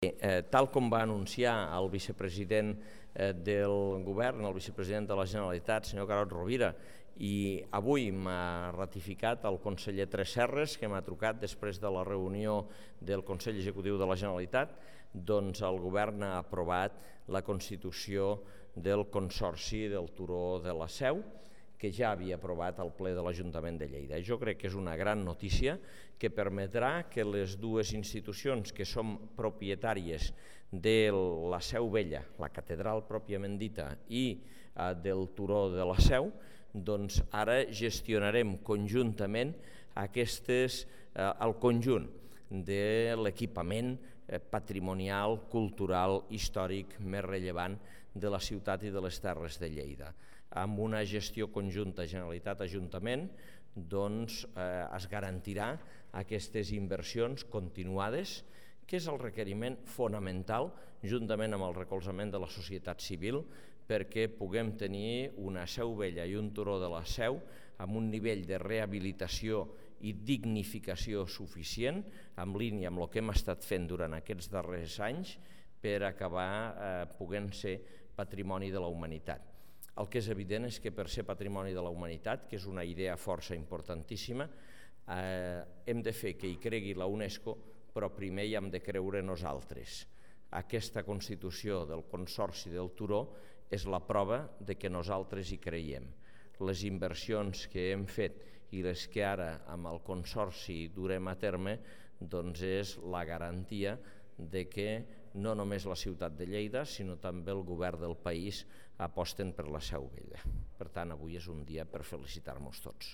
Tal com va anunciar el vicepresident del govern, el vicepresident de la Generalitat, senyor Carod Rovira, i avui m'ha ratificat el conseller Tresserras, que m'ha trucat després de la reunió del Consell Executiu de la Generalitat, doncs el govern ha aprovat la constitució del Consorci del Turó de la Seu, que ja havia aprovat el ple de l'Ajuntament de Lleida. Jo crec que és una gran notícia que permetrà que les dues institucions que som propietàries de la Seu Vella, la catedral pròpiament dita, i del Turó de la Seu, doncs ara gestionarem conjuntament el conjunt de l'equipament patrimonial, cultural, històric més rellevant de la ciutat i de les Terres de Lleida. Amb una gestió conjunta Generalitat-Ajuntament doncs es garantirà aquestes inversions continuades, que és el requeriment fonamental, juntament amb el recolzament de la societat civil, perquè puguem tenir una Seu Vella i un Turó de la Seu amb un nivell de rehabilitació i dignificació suficient, en línia amb el que hem estat fent durant aquests darrers anys, per acabar podent ser patrimoni de la humanitat. El que és evident és que per ser patrimoni de la humanitat, que és una idea força importantíssima, hem de fer que hi cregui la UNESCO, però primer hi hem de creure nosaltres. Aquesta constitució del Consorci del Turó és la prova de que nosaltres hi creiem. Les inversions que hem fet i les que ara amb el Consorci durem a terme doncs és la garantia de que no només la ciutat de Lleida, sinó també el govern del país aposten per la Seu Vella. Per tant, avui és un dia per felicitar-nos tots.